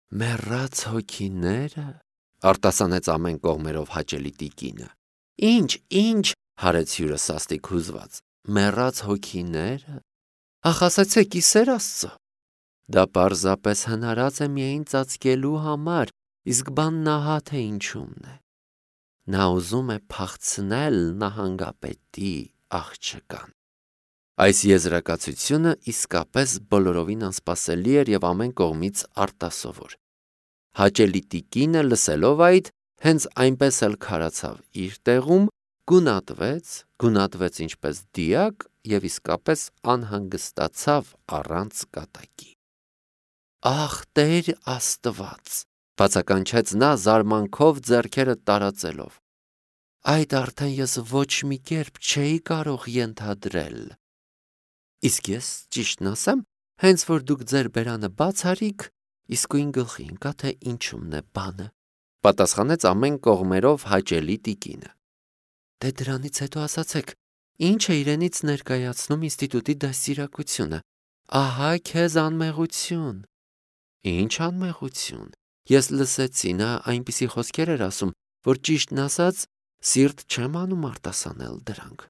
Մեռած հոգիները, արտասանեց ամեն կողմերով հաճելի տիկինը։ Ինչ, հարեց հյուրը սաստիկ հուզված։ Մեռած հոգիները։ Ախ, ասացեք, իսեր Աստծո։ Դա պարզապես հնարած է միայն ծածկելու համար, իսկ բանն ահա թե ինչումն է։ Նա ուզում է փախցնել նահանգապետի աղջկան։ Այս եզրակացությունը իսկապես բոլորովին անսպասելի էր եւ ամեն կողմից արտասովոր։ Հաճելի տիկինը լսելով այդ, հենց այնպես էլ քարացավ իր տեղում, գունատվեց ինչպես դիակ եւ իսկապես անհանգստացավ առանց կատակի։ Ախ, Տեր Աստված, բացականչեց նա զարմանքով ձեռքերը տարածելով։ Այդ արդեն ես ոչ մի կերպ չէի կարող ենթադրել։ Իսկ ես ճիշտն ասեմ, հենց որ դուք ձեր բերանը բաց արիք, իսկույն գլխի ընկա, թե ինչումն է բանը, պատասխանեց ամեն կողմերով հաճելի տիկինը։ Դե դրանից հետո ասացեք, ինչ է իրենից ներկայացնում ինստիտուտի դաստիարակությունը։ Ահա քեզ անմեղություն։ Ինչ անմեղություն։ Ես լսեցի, նա այնպիսի խոսքեր էր ասում, որ ճիշտն ասած, սիրտ չեմ անում արտասանել դրանք։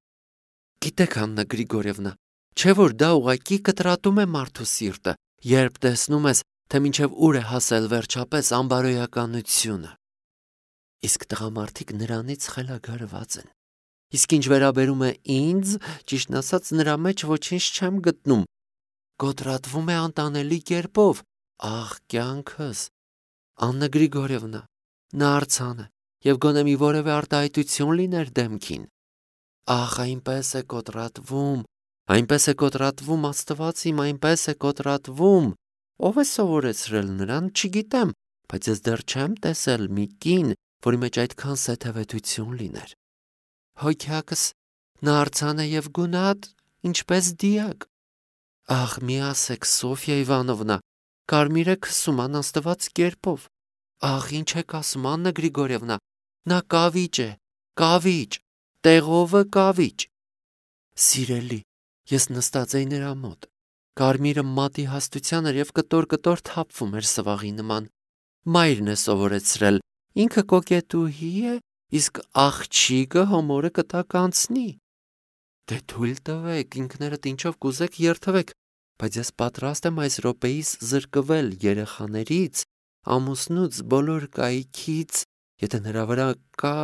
Գիտեք, Աննա Գրիգորևնա, չէ որ դա ուղղակի կտրատում է մարդու սիրտը, երբ տեսնում ես, թե մինչև ուր է հասել վերջապես անբարոյականությունը։ Իսկ տղամարդիկ նրանից խելագարված են։ Իսկ ինչ վերաբերում է ինձ, ճիշտն ասած, նրա մեջ ոչինչ չեմ գտնում։ Կոտրատվում է անտանելի կերպով։ Ախ, կյանքս։ Աննա Գրիգորևնա, նա արձան է, եւ գոնե մի որևէ արտահայտություն լիներ դեմքին։ Ախ, այնպես է կոտրատվում, Աստված իմ, այնպես է կոտրատվում։ Ով է սովորեցրել նրան, չգիտեմ, բայց ես դեռ չեմ տեսել մի կին, որի մեջ այդքան սեթևետություն լիներ։ Հոգյակս, նա արձան է եւ գունատ, ինչպես դիակ։ Ախ, մի ասեք, Սոֆիա Իվանովնա, կարմիր է քսում անաստված կերպով։ Ախ, ինչ եք ասում, Աննա Գրիգորևնա, նա կավիճ է, կավիճ, տեղովը կավիճ։ Սիրելի, ես նստած էի նրա մոտ։ Կարմիրը մատի հաստության էր եւ կտոր թափվում էր սվաղի նման։ Մայրն է սովորեցրել, ինքը կոկետուհի է, իսկ աղջիկը հոմորը կտակ անցնի։ Դե թույլ տվեք, ինքներդ ինչով կուզեք երթվեք, բայց ես պատրաստ եմ այս րոպեիս զրկվել երեխաներից, ամուսնուց, բոլոր կայքից, եթե նրա վրա կա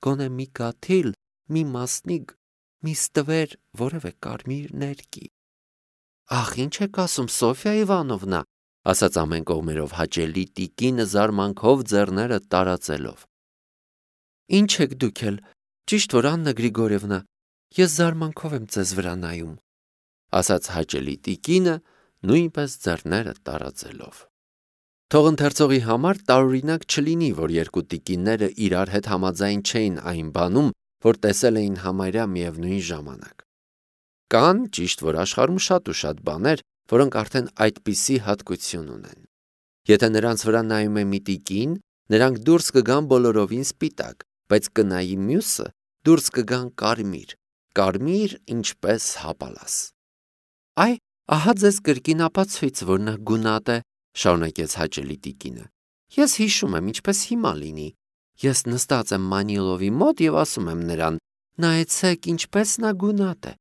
գոնե մի կաթիլ, մի մասնիկ, մի ստվեր, որևէ կարմիր ներկի։ Ախ, ինչ եք ասում, Սոֆիա Իվանովնա, ասաց ամեն կողմերով հաճելի տիկինը զարմանքով ձեռները տարածելով։ Ինչ եք դուք էլ, ճիշտ որ Աննա Գրիգորևնա, ես զարմանքով եմ ձեզ վրա նայում, ասաց հաճելի տիկինը նույնպես ձեռները տարածելով։ Թող ընթերցողի համար տարօրինակ չլինի, որ երկու տիկինները իրար հետ համաձայն չէին այն բանում, որ տեսել էին համարյա միևնույն ժամանակ։ Կան, ճիշտ որ աշխարհում շատ ու շատ բաներ, որոնք արդեն այդպիսի հատկություն ունեն։ Եթե նրանց վրա նայում է մի տիկին, նրանք դուրս կգան բոլորովին սպիտակ, բայց կնայի մյուսը, դուրս կգան կարմիր, ինչպես հապալաս։ Այ, ահա ձեզ կրկին ապացույց, որ նա գունատ է, շարունակեց հաճելի տիկինը։ Ես հիշում եմ, ինչպես հիմա լինի։ Ես նստած եմ Մանիլովի մոտ եւ ասում եմ նրան. նայեցեք, ինչպես նա գունատ է։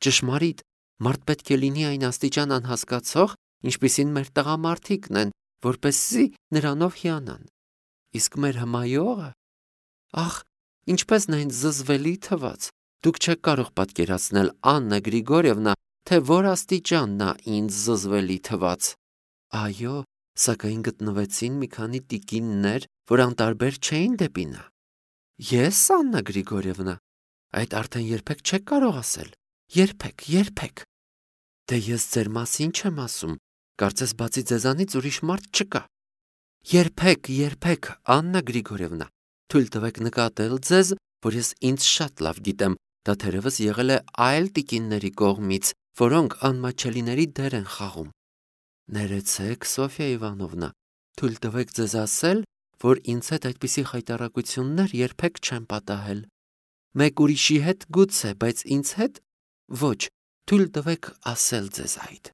Ճշմարիտ, մարդ պետք է լինի այն աստիճան անհասկացող, ինչպիսին մեր տղամարդիկն են, որպեսզի նրանով հիանան։ Իսկ մեր հմայողը, ախ, ինչպես նա ինձ զզվելի թվաց։ Դուք չեք կարող պատկերացնել, Աննա Գրիգորևնա, թե որ աստիճան նա ինձ զզվելի թվաց։ Այո, սակայն գտնվեցին մի քանի տիկիններ, որ անտարբեր չէին դեպի նա։ Ես, Աննա Գրիգորևնա, այդ արդեն երբեք չեք կարող ասել։ Երբեք։ Դե ես ձեր մասին չեմ ասում, կարծես բացի ձեզանից ուրիշ մարդ չկա։ Երբեք, Աննա Գրիգորևնա, թույլ տվեք նկատել ձեզ, որ ես ինձ շատ լավ գիտեմ, դա թերևս եղել է այլ տիկինների կողմից, որոնք անմաչելիների դեր են խաղում։ Ներեցեք, Սոֆիա Իվանովնա, թույլ տվեք ձեզ ասել, որ ինձ հետ այդպիսի խայտառակություններ երբեք չեմ պատահել։ Մեկ ուրիշի հետ գուցե, բայց ինձ հետ ոչ, թույլ տվեք ասել ձեզ այդ։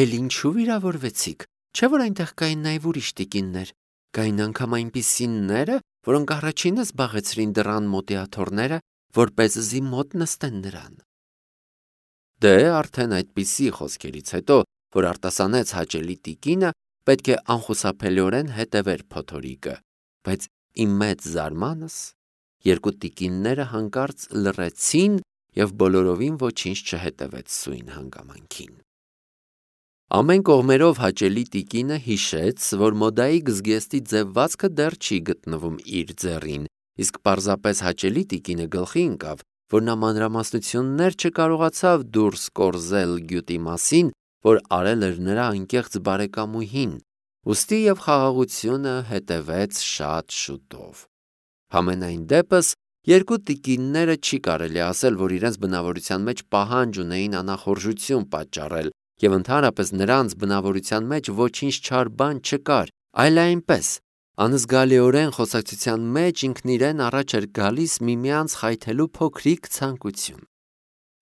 Էլ ինչու վիրավորվեցիք, Չէ՞ որ այնտեղ կային նաև ուրիշ տիկիններ, կային անգամ այնպիսիները, որոնք առաջինը զբաղեցրին դռան մոդիաթորները, որպեսզի մոտ նստեն նրան։ Դե արդեն այդպիսի խոսքերից հետո, որ արտասանեց հաճելի տիկինը, պետք է անխուսափելիորեն հետևեր փոթորիկը, բայց իմ մեծ զարմանս երկու տիկինները հանկարծ լռեցին և բոլորովին ոչինչ չհետևեց սույն հանգամանքին։ Ամեն կողմերով հաճելի տիկինը հիշեց, որ մոդայի զգեստի ձևվածքը դեռ չի գտնվում իր ձեռին, իսկ պարզապես հաճելի տիկինը գլխի ընկավ, որ նա մանրամասնություններ չկարողացավ դուրս կորզել գյուտի մասին, որ արել էր նրա անկեղծ բարեկամուհին, ուստի և խաղաղությունը հետևեց շատ շուտով։ Համենայն դեպս, երկու տիկինները չի կարելի ասել, որ իրենց բնավորության մեջ պահանջ ունեին անախորժություն պատճառել, և ընդհանրապես նրանց բնավորության մեջ ոչինչ չար բան չկար, այլ այնպես, անզգալիորեն խոսակցության մեջ ինքն իրեն առաջ էր գալիս միմյանց խայթելու փոքրիկ ցանկություն։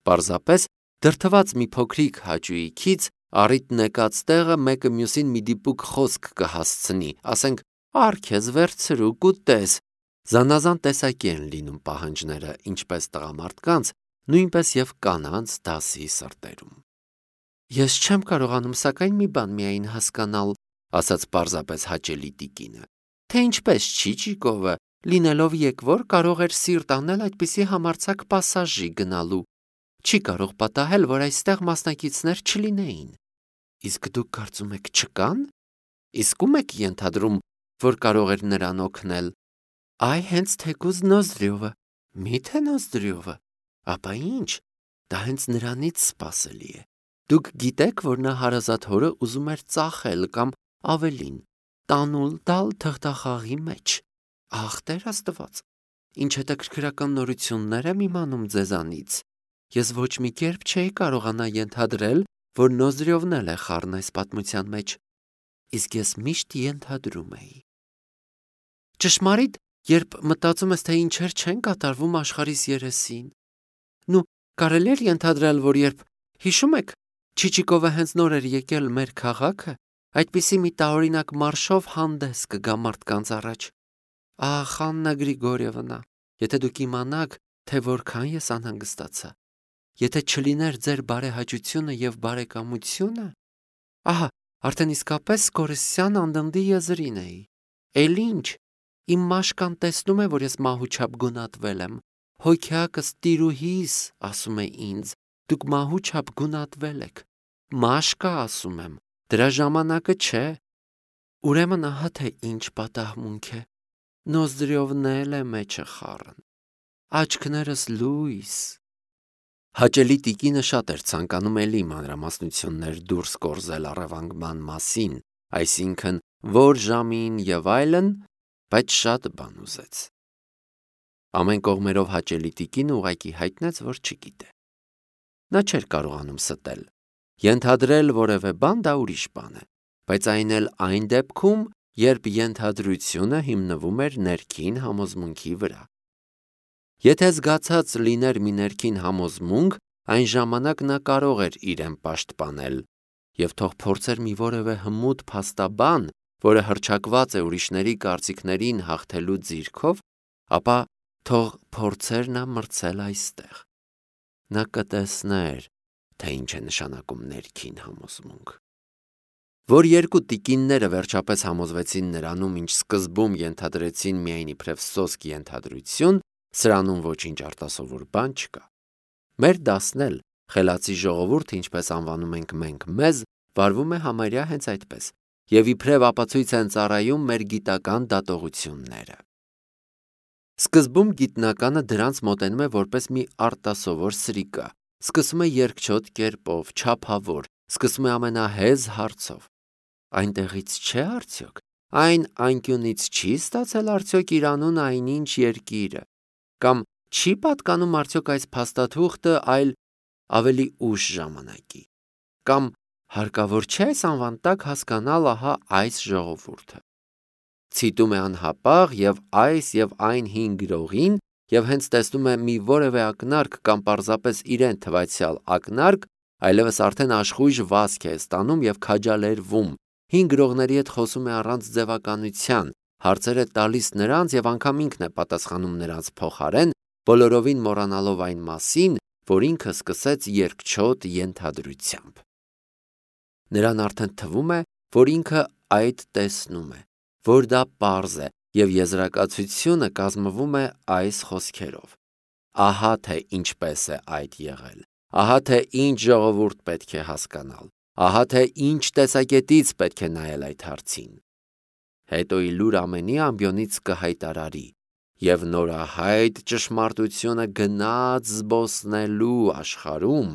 Պարզապես դրդված մի փոքրիկ հաճույքից առիթն եկած տեղը մեկը մյուսին մի դիպուկ խոսք կհասցնի, ասենք «Առ քեզ վերցրու կուտես»։ Զանազան տեսակի են լինում պահանջները, ինչպես տղամարդկանց, նույնպես և կանանց դասի սրտերում։ Ես չեմ կարողանում սակայն մի բան միայն հասկանալ, ասաց պարզապես հաճելի տիկինը, թե ինչպես Չիչիկովը, լինելով եկվոր, կարող էր սիրտ անել այդպիսի համարձակ պասաժի գնալու։ Չի կարող պատահել, որ այստեղ մասնակիցներ չլինեին։ Իսկ դուք կարծում եք չկան։ Իսկ ում եք ենթադրում, որ կարող էր նրան օգնել։ Այ հենց թեկուզ Նոզրյովը։ Մի՞թե Նոզրյովը։ Ապա ինչ, դա հենց նրանից սպասելի է։ Դուք գիտեք, որ նա հարազատ հորը ուզում էր ծախել կամ ավելին, տանուլ տալ թղթախաղի մեջ։ Ախ, Տեր Աստված, ինչ հետաքրքրական նորություններ եմ իմանում ձեզանից։ Ես ոչ մի կերպ չէի կարողանա ենթադրել, որ Նոզրյովն էլ է խառն այս պատմության մեջ։ Իսկ ես միշտ ենթադրում էի։ Ճշմարիտ, երբ մտածում ես, թե ինչեր չեն կատարվում աշխարհիս երեսին։ Նու, կարելի էր ենթադրել, որ երբ, հիշում եք, Չիչիկովը հենց նոր էր եկել մեր քաղաքը, այդպիսի մի տարօրինակ մարշով հանդես կգա մարդկանց առաջ։ Ախ, Աննա Գրիգորիևնա, եթե դուք իմանաք, թե որքան ես անհանգստացա։ Եթե չլիներ ձեր բարեհաճությունը և բարեկամությունը, ահա, արդեն իսկապես կորսյան անդնդի եզրին էի։ Էլ ինչ, իմ մաշկան տեսնում է, որ ես մահուչապ գունատվել եմ։ Հոգյակս տիրուհիս ասում է ինձ, դուք մահուչապ գունատվել եք։ Մաշկա ասում եմ, դրա ժամանակը չէ։ Ուրեմն ահա թե ինչ պատահմունք է։ Նոզրյովն էլ է մեջը խառն։ Աչքներս լույս։ Հաճելի տիկինը շատ էր ցանկանում էլի մանրամասնություններ դուրս կորզել առևանգման մասին, այսինքն որ ժամին և այլն, բայց շատ բան ուզեց։ Ամեն կողմերով հաճելի տիկինը ուղղակի հայտնեց, որ չգիտե։ Նա չէր կարողանում ստել։ Ենթադրել որևէ բան դա ուրիշ բան է, բայց այն էլ այն դեպքում, երբ ենթադրությունը հիմնվում էր ներքին համոզմունքի վրա։ Եթե զգացած լիներ մի ներքին համոզմունք, այն ժամանակ նա կարող էր իրեն պաշտպանել, և թող փորձեր մի որևէ հմուտ փաստաբան, որը հռչակված է ուրիշների կարծիքներին հաղթելու ձիրքով, ապա թող փորձեր նա մրցել այստեղ։ Նա կտեսներ, թե ինչ է նշանակում ներքին համոզմունք։ Որ երկու տիկինները վերջապես համոզվեցին նրանում, ինչ սկզբում ենթադրեցին միայն իբրև սոսկ ենթադրություն, սրանում ոչինչ արտասովոր բան չկա։ Մեր դասն էլ, խելացի ժողովուրդ, ինչպես անվանում ենք մենք մեզ, վարվում է համարյա հենց այդպես, և իբրև ապացույց են ծառայում մեր գիտական դատողությունները։ Սկզբում գիտնականը դրանց մոտենում է որպես մի արտասովոր սրիկա, սկսում է երկչոտ կերպով, չափավոր, սկսում է ամենահեզ հարցով։ Այնտեղից չէ արդյոք, այն անկյունից չի ստացել արդյոք իր անուն այնինչ երկիրը, կամ չի պատկանում արդյոք այս փաստաթուղթը այլ ավելի ուշ ժամանակի, կամ հարկավոր չէ այս անվան տակ հասկանալ ահա այս ժողովուրդը։ Ցիտում է անհապաղ և այս և այն հին գրողին և հենց տեսնում է մի որևէ ակնարկ կամ պարզապես իրեն թվացյալ ակնարկ, այլևս արդեն աշխույժ վազք է ստանում և քաջալերվում, հին գրողների հետ խոսում է առանց ձևականության, հարցեր է տալիս նրանց և անգամ ինքն է պատասխանում նրանց փոխարեն, բոլորովին մոռանալով այն մասին, որ ինքը սկսեց երկչոտ ենթադրությամբ։ Նրան արդեն թվում է, որ ինքը այդ տեսնում է, որ դա պարզ է, և եզրակացությունը կազմվում է այս խոսքերով. ահա թե ինչպես է այդ եղել, ահա թե ինչ ժողովուրդ պետք է հասկանալ, ահա թե ինչ տեսակետից պետք է նայել այդ հարցին։ Հետո իլուր ամենի ամբյոնից կհայտարարի, և նորահայտ ճշմարտությունը գնաց զբոսնելու աշխարհում,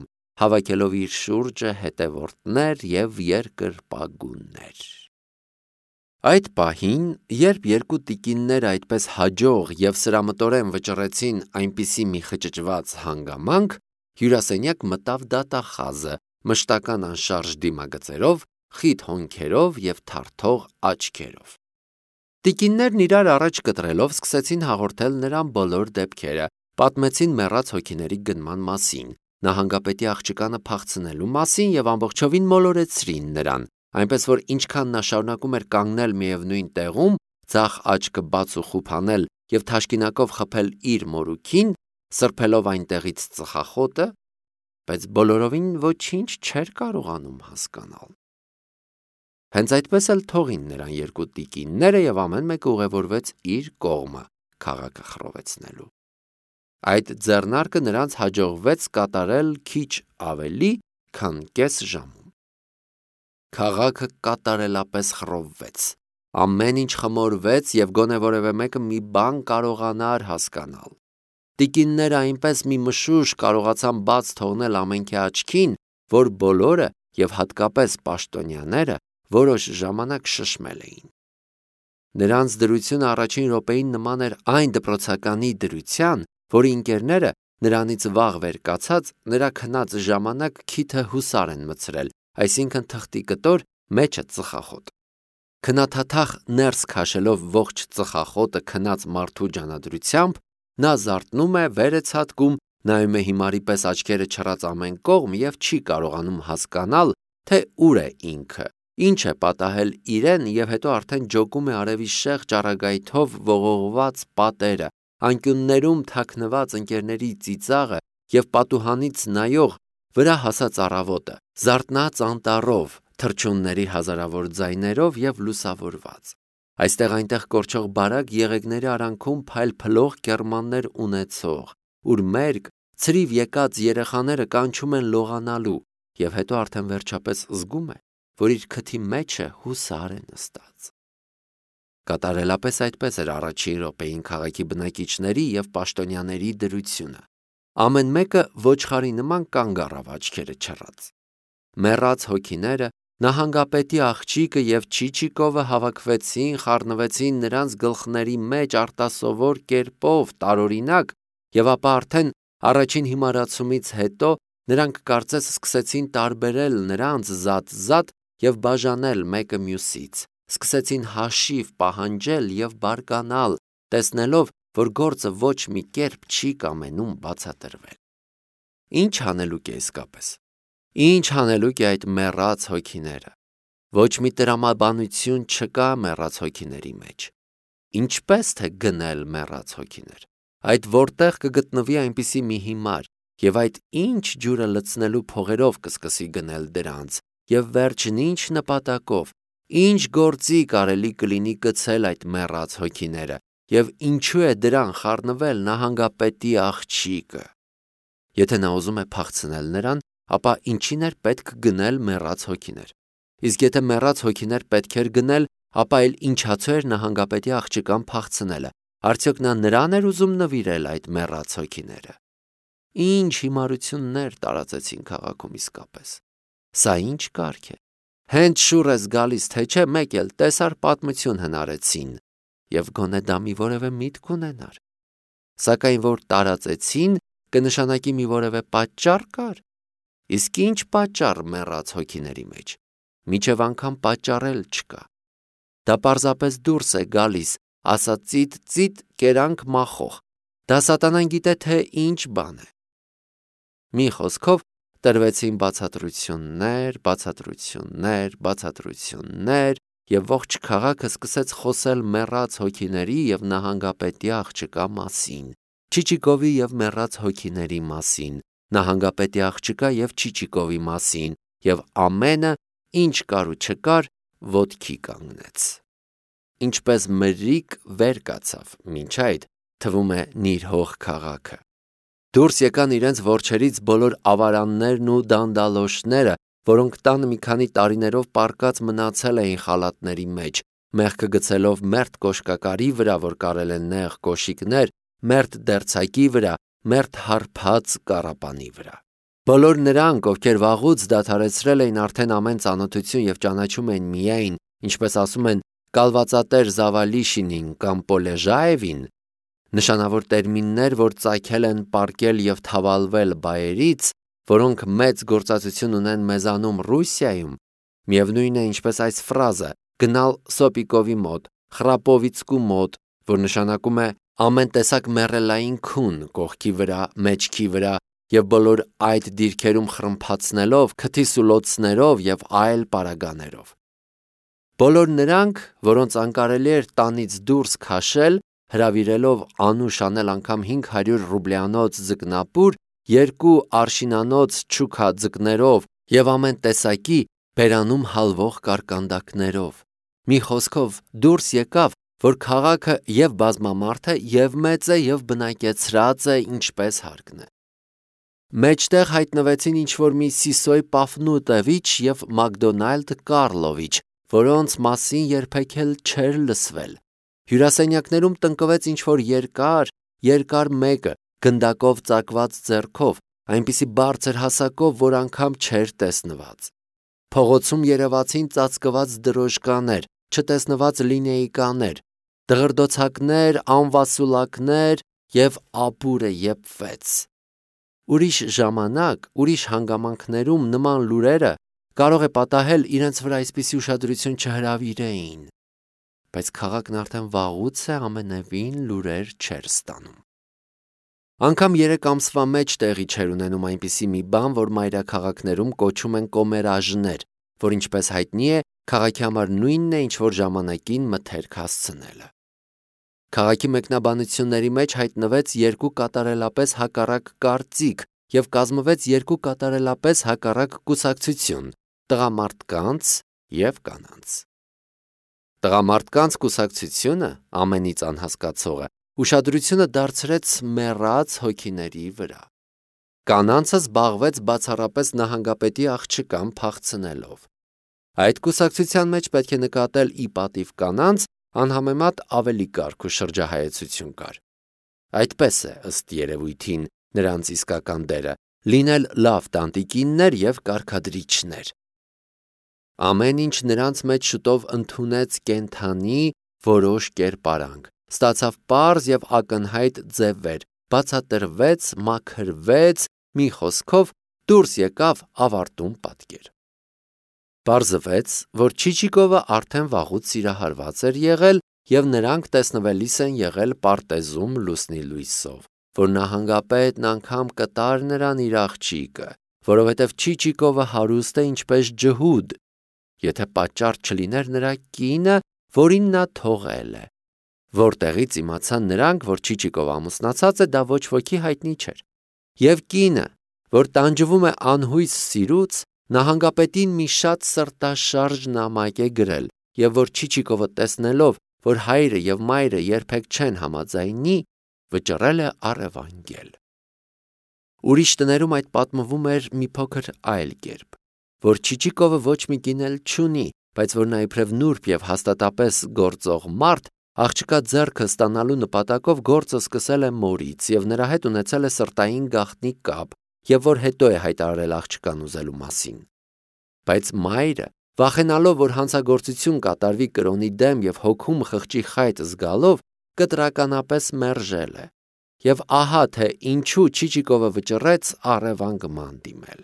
հավաքելով իր շուրջը հետևորդներ և երկրպագուներ։ Այդ պահին, երբ երկու տիկինները այդպես հաջող և սրամտորեն վճռեցին այնպիսի մի խճճված հանգամանք, հյուրասենյակ մտավ դատախազը մշտական անշարժ դիմագծերով, խիտ հոնքերով և թարթող աչքերով։ Տիկիններն իրար առաջ կտրելով սկսեցին հաղորդել նրան բոլոր դեպքերը, պատմեցին մեռած հոգիների գնման մասին, նահանգապետի աղջկանը փախցնելու մասին և ամբողջովին մոլորեցրին նրան, այնպես որ ինչքան նա շարունակում էր կանգնել միևնույն տեղում, ձախ աչքը բաց ու խուփանել և թաշկինակով խփել իր մորուքին, սրբելով այնտեղից ծխախոտը, բայց բոլորովին ոչինչ չէր կարողանում հասկանալ։ Հենց այդպես էլ թողին նրան երկու տիկինները և ամեն մեկը ուղևորվեց իր կողմը քաղաքը խռովեցնելու։ Այդ ձեռնարկը նրանց հաջողվեց կատարել քիչ ավելի, քան կես ժամում։ Քաղաքը կատարելապես խռովվեց, ամեն ինչ խմորվեց և գոնե որևէ մեկը մի բան կարողանար հասկանալ։ Տիկինները այնպես մի մշուշ կարողացան բաց թողնել ամենքի աչքին, որ բոլորը և հատկապես պաշտոնյաները որոշ ժամանակ շշմել էին։ Նրանց դրությունը առաջին րոպեին նման էր այն դպրոցականի դրության, որի ընկերները նրանից վաղ վեր կացած նրա քնած ժամանակ քիթը հուսար են մտցրել, այսինքն թղթի կտոր, մեջը ծխախոտ։ Քնաթաթախ ներս քաշելով ողջ ծխախոտը քնած մարդու ջանադրությամբ, նա զարթնում է, վեր է ցատկում, նայում է հիմարի պես աչքերը չռած ամեն կողմ և չի կարողանում հասկանալ, թե ուր է ինքը, ինչ է պատահել իրեն և հետո արդեն ջոկում է արևի շեղ ճառագայթով ողողված պատերը, անկյուններում թաքնված ընկերների ծիծաղը և պատուհանից նայող վրա հասած առավոտը, զարթնած անտառով, թռչունների հազարավոր ձայներով և լուսավորված։ Այստեղ-այնտեղ կորչող բարակ եղեգների արանքում փայլփլող կեռմաններ ունեցող, ուր մերկ, ցրիվ եկած երեխաները կանչում են լողանալու, և հետո արդեն վերջապես զգում է, որ իր քթի մեջ է հուսար է նստած։ Կատարելապես այդպես էր առաջին րոպեին քաղաքի բնակիչների և պաշտոնյաների դրությունը։ Ամեն մեկը ոչխարի նման կանգ առավ աչքերը չռած։ Մեռած հոգիները, նահանգապետի աղջիկը և Չիչիկովը հավաքվեցին, խառնվեցին նրանց գլխների մեջ արտասովոր կերպով, տարօրինակ, և ապա արդեն առաջին հիմարացումից հետո նրանք կարծես սկսեցին տարբերել նրանց զատ և բաժանել մեկը մյուսից, սկսեցին հաշիվ պահանջել և բարկանալ, տեսնելով, որ գործը ոչ մի կերպ չի կամենում բացատրվել։ Ինչ անելուկ է իսկապես։ Ինչ անելուկ է այդ մեռած հոգիները։ Ոչ մի տրամաբանություն չկա մեռած հոգիների մեջ։ Ինչպես թե գնել մեռած հոգիներ։ Այդ որտեղ կգտնվի այնպիսի մի հիմար, և այդ ինչ ջուրը լցնելու փողերով կսկսի գնել դրանց, և վերջն ինչ նպատակով, ինչ գործի կարելի կլինի կցել այդ մեռած հոգիները, և ինչու է դրան խառնվել նահանգապետի աղջիկը։ Եթե նա ուզում է փախցնել նրան, ապա ինչին էր պետք գնել մեռած հոգիներ։ Իսկ եթե մեռած հոգիներ պետք էր գնել, ապա էլ ինչացու էր նահանգապետի աղջկան փախցնելը։ Արդյոք նա նրան էր ուզում նվիրել այդ մեռած հոգիները։ Ինչ հիմարություններ տարածեցին քաղաքում իսկապես։ Սա ինչ կարգ է։ Հենց շուռ ես գալիս, թե չէ մեկ էլ տեսար պատմություն հնարեցին, և գոնե դա մի որևէ միտք ունենար։ Սակայն որ տարածեցին, կնշանակի մի որևէ պատճառ կար։ Իսկ ինչ պատճառ մեռած հոգիների մեջ։ Մինչև անգամ պատճառ էլ չկա։ Դա պարզապես դուրս է գալիս, ասա ծիտ կերանք մախող։ Դա սատանան գիտե թե ինչ բան է։ Մի խոսքով, տրվեցին բացատրություններ, եւ ողջ քաղաքը սկսեց խոսել մեռած հոգիների եւ նահանգապետի աղջկա մասին, Չիչիկովի եւ մեռած հոգիների մասին, նահանգապետի աղջկա եւ Չիչիկովի մասին, եւ ամենը, ինչ կար ու չկար, ոտքի կանգնեց։ Ինչպես մրրիկ վեր կացավ, մինչ այդ թվում է նիրհող քաղաքը։ Դուրս եկան իրենց որջերից բոլոր ավարաններն ու դանդալոշները, որոնք տանը մի քանի տարիներով պառկած մնացել էին խալաթների մեջ, մեղքը գցելով մերթ կոշկակարի վրա, որ կարել են նեղ կոշիկներ, մերթ դերձակի վրա, մերթ հարբած կառապանի վրա։ Բոլոր նրանք, ովքեր վաղուց դադարեցրել էին արդեն ամեն ծանոթություն եւ ճանաչում էին միայն, ինչպես ասում են, կալվածատեր Զավալիշինին կամ Պոլեժաևին, նշանավոր տերմիններ, որ ծագել են պառկել եւ թավալվել բայերից, որոնք մեծ գործածություն ունեն մեզանում Ռուսիայում, միևնույն է ինչպես այս ֆրազը գնալ Սոպիկովի մոտ, Խրապովիցկու մոտ, որ նշանակում է ամեն տեսակ մեռելային քուն կողքի վրա, մեջքի վրա եւ բոլոր այդ դիրքերում խրմփացնելով, քթի սուլոցներով եւ այլ պարագաներով։ Բոլոր նրանք, որոնց անկարելի էր տանից դուրս քաշել, հրավիրելով անուշ անել անգամ 500 ռուբլյանոց ձկնապուր, 2 արշինանոց չուքա ձկներով եւ ամեն տեսակի բերանում հալվող կարկանդակներով։ Մի խոսքով դուրս եկավ, որ քաղաքը եւ բազմամարդ է, եւ մեծ է, եւ բնակեցրած է, ինչպես հարկն է։ Մեջտեղ հայտնվեցին ինչ-որ մի Սիսոյ Պաֆնուտովիչ եւ Մակդոնալդ Կարլովիչ, որոնց մասին երբեք էլ չէր լսվել։ Հյուրասենյակներում տնկվեց ինչ-որ երկար մեկը, գնդակով ծակված ձեռքով, այնպիսի բարձր հասակով, որ անգամ չէր տեսնված։ Փողոցում երևացին ծածկված դրոժկաներ, չտեսնված լինեյկաներ, դղրդոցակներ, անվասուլակներ եւ ապուրը եփվեց։ Ուրիշ ժամանակ, ուրիշ հանգամանքներում նման լուրերը կարող է պատահել իրենց վրա այսպիսի ուշադրություն չհրավիրեին, բայց քաղաքն արդեն վաղուց է ամենևին լուրեր չէր ստանում։ Անգամ 3 ամսվա մեջ տեղի չէր ունենում այնպիսի մի բան, որ մայրաքաղաքներում կոչում են կոմերաժներ, որ ինչպես հայտնի է, քաղաքի համար նույնն է, ինչ որ ժամանակին մթերք հասցնելը։ Քաղաքի մեկնաբանությունների մեջ հայտնվեց 2 կատարելապես հակառակ կարծիք եւ կազմվեց 2 կատարելապես հակառակ կուսակցություն՝ տղամարդկանց եւ կանանց։ Տղամարդկանց կուսակցությունը, ամենից անհասկացողը, ուշադրությունը դարձրեց մեռած հոգիների վրա։ Կանանցը զբաղվեց բացառապես նահանգապետի աղջկան փախցնելով։ Այդ կուսակցության մեջ պետք է նկատել ի պատիվ կանանց անհամեմատ ավելի կարգ ու շրջահայեցություն կար։ Այդպես է, ըստ երևույթին, նրանց իսկական դերը լինել լավ տանտիկիններ եւ կարգադրիչներ։ Ամեն ինչ նրանց մեջ շուտով ընդունեց կենթանի որոշ կերպարանք, ստացավ պարզ եւ ակնհայտ ձևեր, բացատրվեց, մաքրվեց, մի խոսքով դուրս եկավ ավարտուն պատկեր։ Պարզվեց, որ Չիչիկովը արդեն վաղուց սիրահարված էր եղել եւ նրանք տեսնվելիս են եղել պարտեզում լուսնի լույսով, որ նահանգապետն անգամ կտար նրան իր աղջիկը, որովհետեւ Չիչիկովը հարուստ է ինչպես ջհուդ, եթե պատճառ չլիներ նրա կինը, որին նա թողել է, որտեղից իմացան նրանք, որ Չիչիկովը ամուսնացած է, դա ոչ ոքի հայտնի չէր, եւ կինը, որ տանջվում է անհույս սիրուց, նահանգապետին մի շատ սրտաշարժ նամակ է գրել, եւ որ Չիչիկովը տեսնելով, որ հայրը եւ մայրը երբեք չեն համաձայնի, վճռել է առևանգել։ Ուրիշ տներում այդ պատմվում էր մի փոքր այլ կերպ, որ Չիչիկովը ոչ մի կին էլ չունի, բայց որ նա իբրև նուրբ եւ հաստատապես գործող մարդ, աղջկա ձեռքը ստանալու նպատակով գործը սկսել է մորից եւ նրա հետ ունեցել է սրտային գաղտնի կապ, եւ որ հետո է հայտարարել աղջկան ուզելու մասին։ Բայց մայրը, վախենալով, որ հանցագործություն կատարվի կրոնի դեմ եւ հոգում խղճի խայտ զգալով, կտրականապես մերժել է։ Եվ ահա թե ինչու Չիչիկովը վճռեց առևանգման դիմել։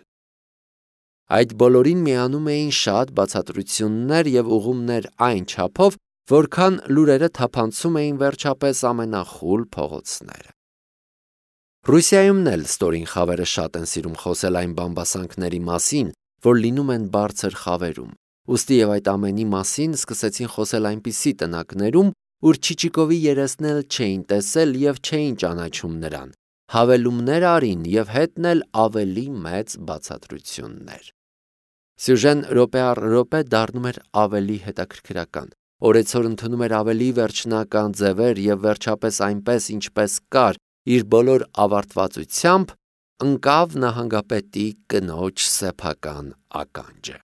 Այդ բոլորին միանում էին շատ բացատրություններ եւ ուղումներ այն չափով, որքան լուրերը թափանցում էին վերջապես ամենախուլ փողոցները։ Ռուսիայումն էլ ստորին խավերը շատ են սիրում խոսել այն բամբասանքների մասին, որ լինում են բարձր խավերում։ Ուստի եւ այդ ամենի մասին սկսեցին խոսել այնպիսի տնակներում, ուր Չիչիկովի երեսն էլ չէին տեսել եւ չէին ճանաչում նրան։ Հավելումներ արին եւ հետն էլ ավելի մեծ բացատրություններ։ Սյուժեն րոպե առ րոպե դառնում էր ավելի հետաքրքրական։ Օրեցօր ընդունում էր ավելի վերջնական ձևեր եւ վերջապես այնպես ինչպես կար իր բոլոր ավարտվածությամբ ընկավ նահանգապետի կնոջ սեփական ականջը։